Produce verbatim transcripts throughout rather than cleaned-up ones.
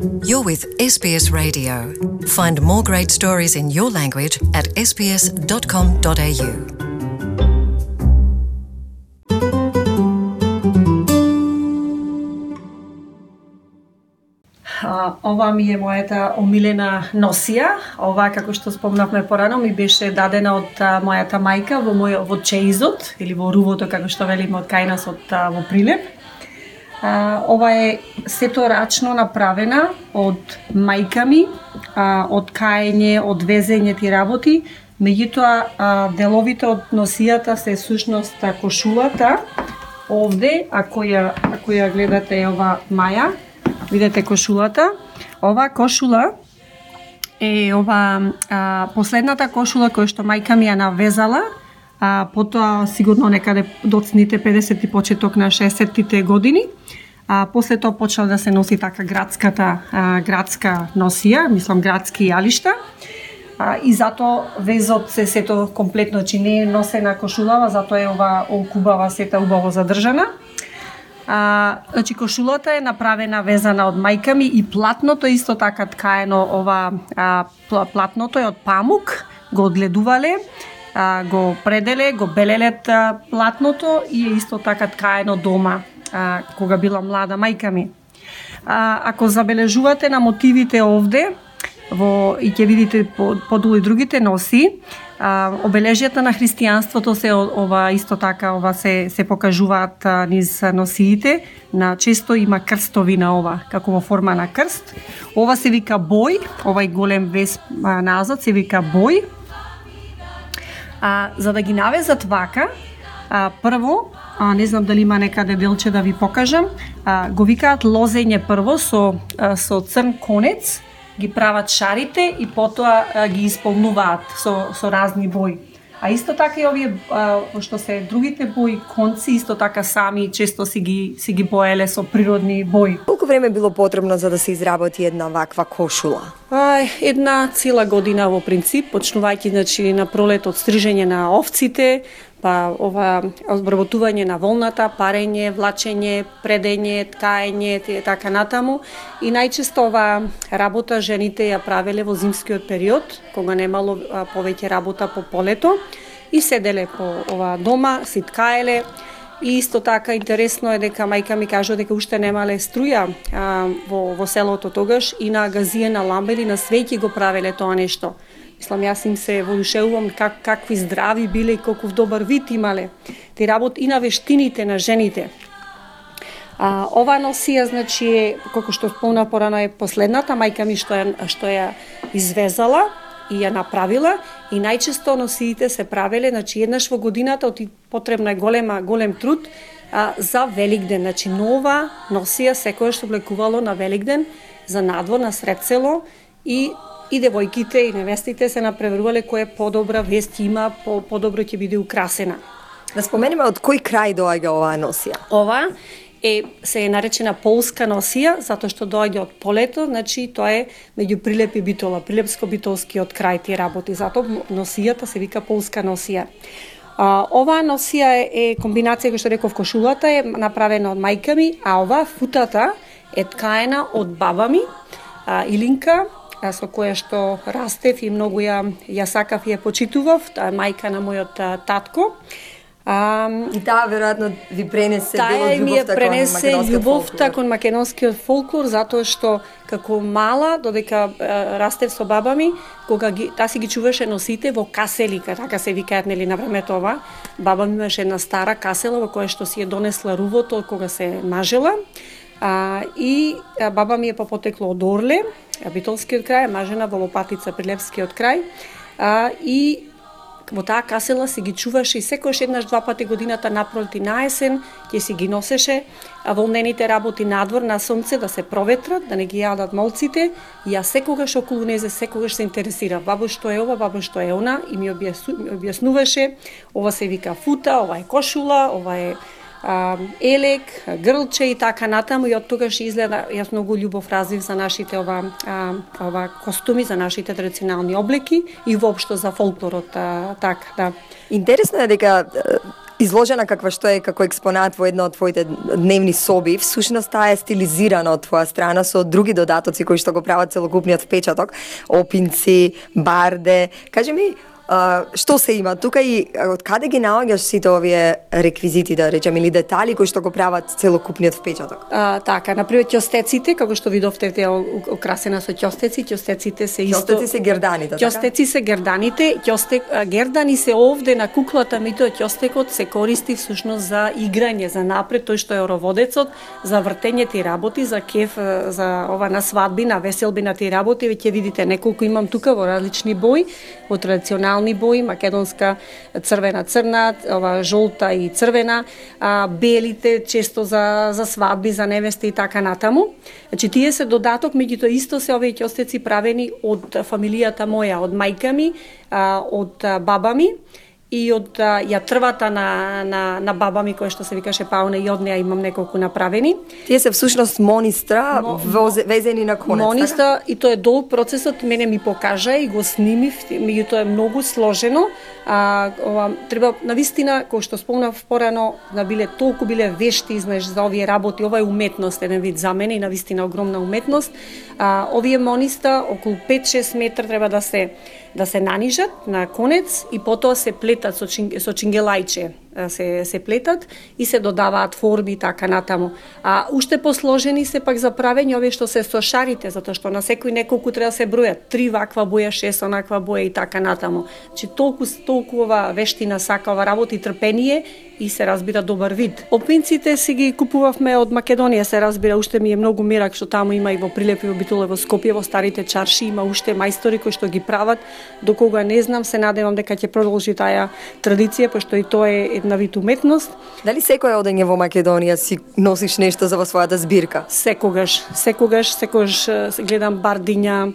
You're with S B S Radio. Find more great stories in your language at s b s dot com dot a u. А, ова ми е мојата омилена носија. Ова, како што спомнавме порано, ми беше дадена од а, мојата мајка во мој во чеизот или во рувото, како што велиме од кај нас, од а, во Прилеп. А, ова е сето рачно направена од мајка ми, а, од каење, од везење ти работи. Меѓутоа, деловите од носијата се сушност кошулата. Овде, ако ја, ако ја гледате ова маја, видете кошулата. Ова кошула е ова а, последната кошула која што мајка ми ја навезала, а, потоа сигурно некаде доцните педесети почеток на шеесеттите години. А, после тоа почнала да се носи така градската а, градска носија, мислам градски јалишта. А, и затоа везот се сето комплетно, че не е носена кошулава, затоа е ова окубава сета убаво задржана. А, значи кошулата е направена везана од мајка ми и платното исто така ткаено, ова а, платното е од памук, го одледувале, а, го пределе, го белелет а, платното и е исто така ткаено дома, а, кога била млада мајка ми. А, ако забележувате на мотивите овде, во и ќе видите подолу и другите носи, а, обележјата на христијанството се ова исто така ова се се покажуваат а, низ носиите. На често има крстови на ова, како во форма на крст. Ова се вика бој, овај голем вес а, назад се вика бој. А, за да ги навезат вака, а, прво, а, не знам дали има некаде делче да ви покажам, а, го викаат лозење прво со а, со црн конец, ги прават шарите и потоа а, ги исполнуваат со, со разни бои. А исто така и овие, а, што се другите бои, конци, исто така сами често си ги, си ги боеле со природни бои. Колку време било потребно за да се изработи една ваква кошула? А, една цела година во принцип, почнувајќи значи, на пролет од стрижење на овците, па ова обработување на волната, парење, влачење, предење, ткаење, така натаму. И најчесто ова работа жените ја правеле во зимскиот период, кога немало а, повеќе работа по полето, и седеле по ова дома, си ткаеле. И исто така интересно е дека мајка ми кажа дека уште немале струја а, во, во селото тогаш и на газија, на ламба или на свеќи го правеле тоа нешто. Мислам, јас им се воодушевувам как, какви здрави биле и колку добар вид имале. Те работ и на вештините на жените. А, ова носија, значи, како што спомна порано, е последната мајка ми што ја, што ја извезала и ја направила, и најчесто носиите се правеле, значи, еднаш во годината, оти потребна е голема, голем труд а, за Великден. Значи, нова носија секојаш се облекувало на Великден за надвор, на сред село, и и девојките и невестите се напреварувале која подобра вест има, по, подобро ќе биде украсена. Да споменеме од кој крај доаѓа оваа носија? Ова е се е наречена полска носија, затоа што доаѓа од полето, значи тоа е меѓу Прилеп и Битола, прилепско-битолскиот крај тие работи, затоа носијата се вика полска носија. А, оваа носија е, е комбинација, кој што реков, кошулата е направена од мајка ми, а ова футата е ткаена од баба ми, а, Илинка, со која што растев и многу ја, ја сакав и ја почитував, таа е мајка на мојот а, татко. А, и таа веројатно ви пренесе дел од љубовта кон македонскиот љубовта кон македонскиот фолклор, затоа што како мала, додека а, растев со баба ми, кога ги, таа си ги чуваше носите во каселика, така се викаат, нели, на времето ова. Баба ми имаше една стара касела во која што си ја донесла рувото кога се мажела. А, и а, баба ми е по потекло од Орле, Битолскиот крај, мажена во Лопатица, Прилепскиот крај, а, и во таа касела си ги чуваше и секојаш еднаш два пати годината напролет и на есен ќе си ги носеше волнените работи надвор на сонце да се проветрат, да не ги јадат молците, и ја секогаш околу незе секогаш се интересира. Бабо што е ова, бабо што е она, и ми објаснуваше, ова се вика фута, ова е кошула, ова е а, елек, грлче и така натаму, и од тогаш изгледа, јас многу љубов развив за нашите ова, а, ова костуми, за нашите традиционални облеки и воопшто за фолклорот, а, така, да. Интересно е дека изложена каква што е како експонат во една од твоите дневни соби, всушност таа е стилизирана од твоја страна со други додатоци кои што го прават целокупниот впечаток, опинци, барде. Кажи ми, Uh, што се има тука и од каде ги наоѓаш сите овие реквизити, да речем, или детали кои што го прават целокупниот впечаток? А, така, например, ќостеците, како што видовте, те украсена со ќостеци, ќостеците се исто. Ќостеци се герданите, така? Ќостеци се герданите, ќостек гердани се овде на куклата, меѓутоа ќостекот се користи всушност за играње, за напред, тој што е ороводецот, за вртење ти работи, за кеф, за ова на свадби, на веселби на ти работи, веќе видите неколку имам тука во различни бои, во традиционални бои, македонска црвена црна, ова жолта и црвена, а, белите често за за свадби, за невести и така натаму. Значи тие се додаток, меѓутоа исто се овие ќостеци правени од фамилијата моја, од мајка ми, а, од баба ми и од а, јатрвата на, на, на баба ми, која што се викаше Пауна, и од неа имам неколку направени. Тие се всушност монистра, Мо, везени на конец, монистра, така? И тоа е долг процесот, мене ми покажа и го снимив, меѓутоа е многу сложено. А, ова, треба, навистина, кој што спомнав порано, да биле толку биле вешти, знаеш, за овие работи, ова е уметност, еден вид за мене и навистина огромна уметност. А, овие мониста, околу пет-шест метра треба да се да се нанижат на конец и потоа се плетат со, чин, со чингелајче, се, се плетат и се додаваат форми и така натаму. А уште посложени се пак за правење овие што се со шарите, затоа што на секој неколку треба да се бројат, три ваква боја, шест онаква боја и така натаму. Значи толку толку ова вештина сака, ова работа и трпение и се разбира добар вид. Опинците си ги купувавме од Македонија, се разбира, уште ми е многу мерак што таму има и во Прилеп и во Битоле, во Скопје, во старите чарши има уште мајстори кои што ги прават. До кога не знам, се надевам дека ќе продолжи таа традиција, пошто и тоа е една вид уметност. Дали секој одење во Македонија си носиш нешто за во својата збирка? Секогаш, секогаш, секогаш гледам бардиња,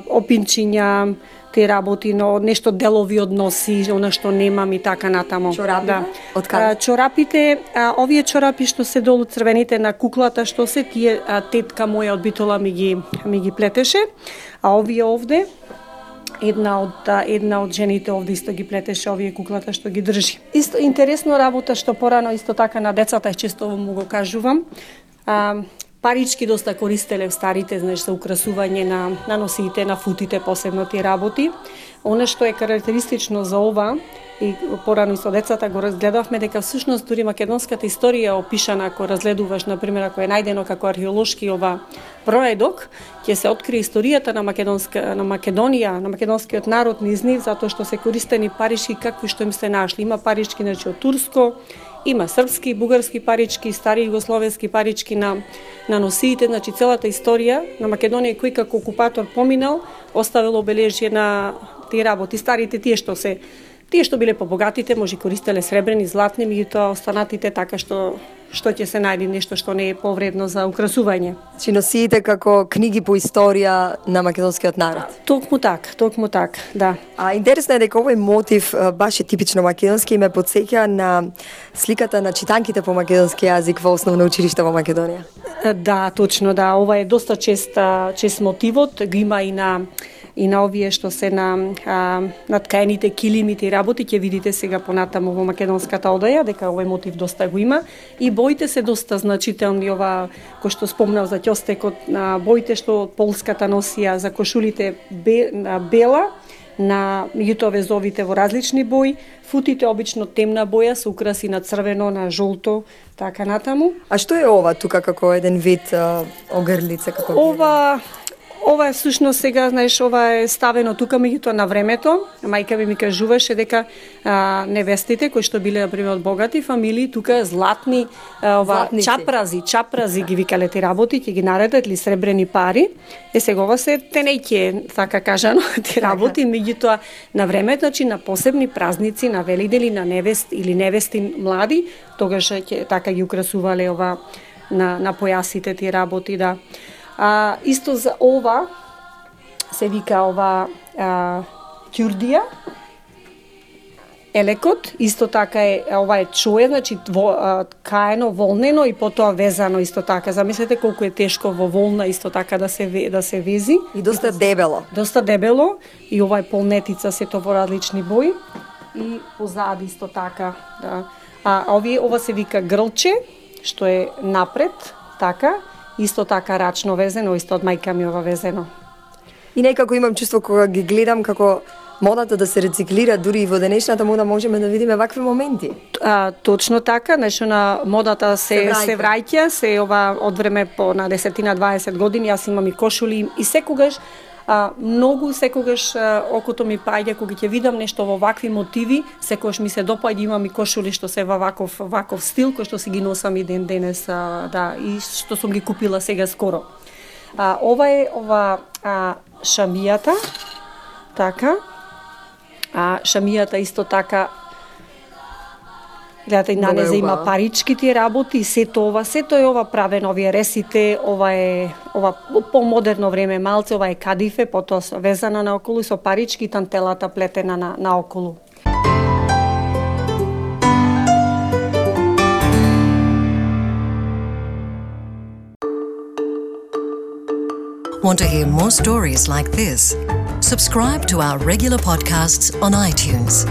опинчиња, те работи, но нешто делови односи, она што немам и така натаму. Чорапите? Да. Од каде? Чорапите, а, овие чорапи што се долу црвените на куклата, што се тие, а, тетка моја од Битола ми ги ми ги плетеше, а овие овде една од една од жените овде исто ги плетеше овие куклата што ги држи. Исто интересно работа што порано исто така на децата често му го кажувам. А, парички доста користеле в старите, знаеш, за украсување на на носите, на футите, посебно тие работи. Она што е карактеристично за ова и порано со децата го разгледавме дека всушност дури македонската историја опишана, ако разгледуваш на пример ако е најдено како археолошки ова проедок, ќе се открие историјата на македонска на Македонија, на македонскиот народ низ нив, затоа што се користени парички какви што им се нашли. Има парички значи од турско, има српски, бугарски парички, стари југословенски парички на на носиите, значи целата историја на Македонија кој како окупатор поминал, оставил обележје на тие работи. Старите тие што се тие што биле побогатите, може користеле сребрени, златни, меѓутоа останатите така што што ќе се најде нешто што не е повредно за украсување. Чи носиите како книги по историја на македонскиот народ? Токму так, токму так, да. А интересно е дека овој мотив баш е типично македонски и ме потсеќа на сликата на читанките по македонски јазик во основно училиште во Македонија. Да, точно, да. Ова е доста чест чест мотивот, го има и на и на овие што се на а, наткаените килимите и работи, ќе видите сега понатаму во македонската одаја дека овој мотив доста го има и боите се доста значителни, ова кој што спомнав за ќостекот, на боите што полската носија, за кошулите бе, на бела, на меѓутоа везовите во различни бои, футите обично темна боја со украси на црвено, на жолто, така натаму. А што е ова тука како еден вид а, огрлица како ова Ова е всушност сега, знаеш, ова е ставено тука меѓутоа на времето. Мајка ми ми кажуваше дека а, невестите кои што биле например од богати фамилии, тука златни а, ова Златници. чапрази, чапрази ги викале ти работи, ќе ги наредат или сребрени пари. Е сега ова се тенејке, така кажано, ти работи, меѓутоа на времето, значи на посебни празници, на Велидели, на невест или невести млади, тогаш ќе така ги украсувале ова на на појасите ти работи, да. А, исто за ова се вика ова а, ќурдија, елекот, исто така е ова е чое, значи во, а, каено, волнено и потоа везано исто така. Замислете колку е тешко во волна исто така да се да се вези и доста дебело. Доста дебело и ова е полнетица сето во различни бои. и позади исто така, да. А овие ова се вика грлче, што е напред, така, исто така рачно везено, исто од мајка ми ова везено. И некако имам чувство кога ги гледам како модата да се рециклира, дури и во денешната мода можеме да видиме вакви моменти. А, точно така, нешто на модата се Се се враќа, се ова од време по на десетина дваесет години, јас имам и кошули и секогаш а, многу секогаш а, окото ми паѓа кога ќе видам нешто во вакви мотиви, секогаш ми се допаѓа, имам и кошули што се во ваков ваков стил кој што си ги носам и ден денес, а, да, и што сум ги купила сега скоро. А, ова е ова а, шамијата, така. А шамијата исто така, гледате, на незе има парички тие работи, и сето ова, сето е ова правено, овие ресите, ова е ова помодерно време малце, ова е кадифе, потоа везана наоколу и со парички и тантелата плетена на наоколу. Want to hear more stories like this? Subscribe to our regular podcasts on iTunes.